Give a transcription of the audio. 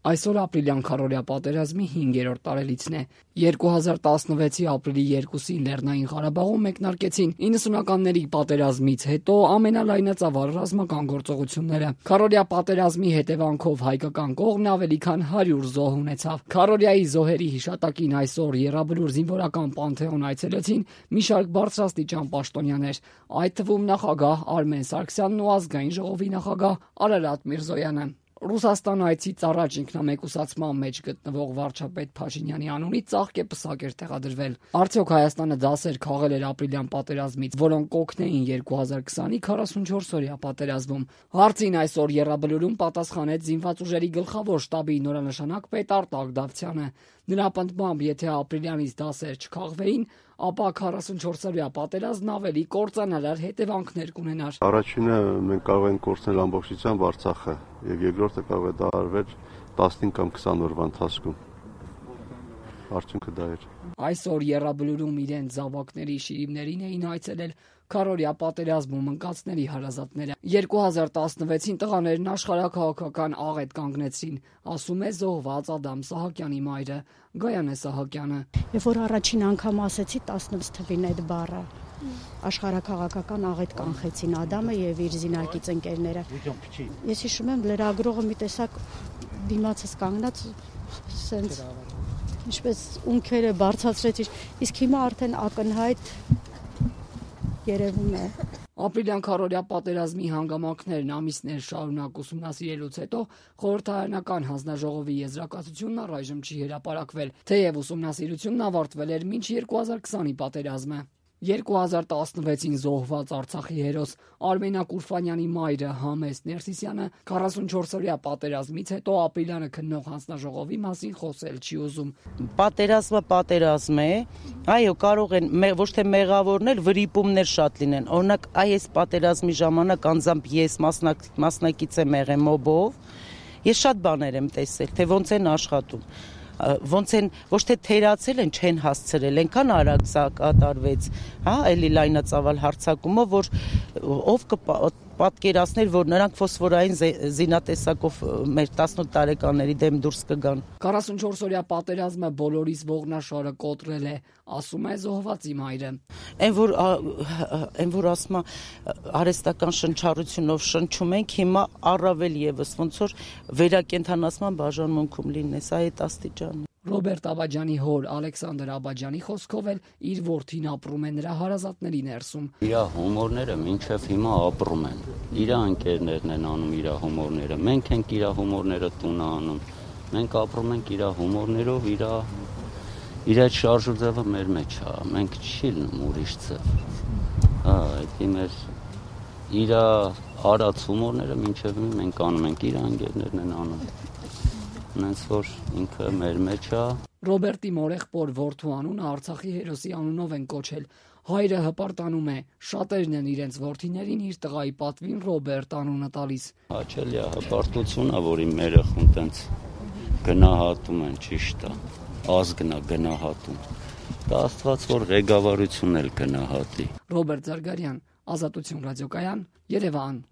Այսօր ապրիլյան քարոզիա պատերազմի 5-րդ տարելիցն է։ 2016-ի ապրիլի 2-ին Լեռնային Ղարաբաղում մեկնարկեցին 90-ականների պատերազմից հետո ամենալայնածավալ ռազմական գործողությունները։ Քարոզիա պատերազմի հետևանքով հայկական կողմն ավելի քան 100 զոհ ունեցավ։ Քարոզիայի զոհերի հիշատակին այսօր Եռաբլուր զինվորական պանթեոն այցելեցին մի շարք բարձրաստիճան պաշտոնյաներ, այդ թվում նախագահ Արմեն Սարգսյանն ու ազգային ժողովի նախագահ Արարատ Միրզոյանը։ Ռուսաստան այցից առաջ ինքնամեկուսացման մեջ գտնվող վարչապետ Փաշինյանի անունից ծաղկեպսակ էր տեղադրվել։ Արդյոք Հայաստանը դասեր քաղել էր ապրիլյան պատերազմից, որոնք կօգնեին 2020-ի 44-օրյա պատերազմում։ Հարցին այսօր Եռաբլուրում պատասխանեց զինված ուժերի գլխավոր շտաբի նորանշանակ պետ Արտակ Դավթյանը։ Նրա պնդմամբ, եթե ապրիլյանից դասեր չքաղվեին, ապա 44-օրյա պատերազմն ավելի կործանարար հետևանքներ կունենար։ Առաջինը մենք կարող ենք կորցնել ամբողջությամբ Արցախը, եւ երկրորդը կարող է դա արվել 15 կամ 20 օրվա ընթացքում։ Արդյունքը դա էր։ Այսօր Եռաբլուրում իրենց զավակների շիրիմներին էին այցելել քարոզիա պատերազմում ընկածների հարազատները։ 2016-ին տղաներն աշխարհաքաղաքական աղետ կանգնեցին, ասում է զոհված Ադամ Սահակյանի մայրը Գայանե Սահակյանը։ Երբ որ առաջին անգամ ասեցի 16 թվին այդ բառը, աշխարհաքաղաքական աղետ կանխեցին Ադամը եւ իր զինակից ընկերները։ Ես հիշում եմ լրագրողը մի տեսակ դիմացս կանգնած սենց ինչպես ունքերը բարձրացրեց, իսկ հիմա արդեն ակնհայտ երևում է։ Ապրիլյան քարոզիա պատերազմի հանգամանքներն ամիսներ շարունակ ուսումնասիրելուց հետո խորհրդարանական հանձնաժողովի եզրակացությունն առայժմ չի հրապարակվել, թեև ուսումնասիրությունն ավարտվել էր մինչ 2020-ի պատերազմը։ 2016-ին զոհված Արցախի հերոս Արմենակ Ուրֆանյանի մայրը Համեստ Ներսիսյանը 44-օրյա պատերազմից հետո ապրիլյանը քննող հանձնաժողովի մասին խոսել չի ուզում։ Պատերազմը պատերազմ է, այո, կարող են ոչ թե մեղավորներ, վրիպումներ շատ լինեն։ Օրինակ, այս պատերազմի ժամանակ անձամբ ես մասնակից եմ եղել մոբով, ես շատ բաներ եմ տեսել, թե ոնց են աշխատում։ Ոնց են ոչ թե թերացել են, չեն հասցրել, այնքան արագ սա կատարվեց, հա, էլի լայնածավալ հարձակումով, որ ով կպատկերացներ, որ նրանք ֆոսֆորային զինատեսակով մեր 18 տարեկանների դեմ դուրս կգան։ 44-օրյա պատերազմը բոլորիս ողնաշարը կոտրել է, ասում է զոհվածի մայրը։ Այն որ ասում է արհեստական շնչառությունով շնչում ենք, հիմա առավել եւս ոնց որ վերակենդանացման բաժանմունքում լինես, այդ աստիճան։ Ռոբերտ Աբաջյանի հոր Ալեքսանդր Աբաջյանի խոսքով էլ իր որդին ապրում է նրա հարազատների ներսում։ Իր հումորները մինչև հիմա ապրում են։ Իր ընկերներն են անում իր հումորները։ Մենք ենք իր հումորները տունը անում։ Մենք ապրում ենք իր հումորներով, իր այդ շարժուձևը մեր մեջ է։ Մենք չի լինում ուրիշ ձև։ Հա, դա մեր իր արած հումորները մինչև մենք անում ենք, իր ընկերներն են անում։ Նենց որ ինքը մեր մեջ է։ Ռոբերտի մորեղբոր որդու անունը Արցախի հերոսի անունով են կոչել։ Հայրը հպարտանում է, շատերն են իրենց որդիներին իր տղայի պատվին Ռոբերտ անունը տալիս։ Հաճելի է հպարտությունն է, որ իմ երեխուն տենց գնահատում են, ճիշտ է, ազգն է գնահատում։ Դա Աստված որ ղեկավարությունն էլ գնահատի։ Ռոբերտ Զարգարյան, Ազատություն ռադիոկայան, Երևան։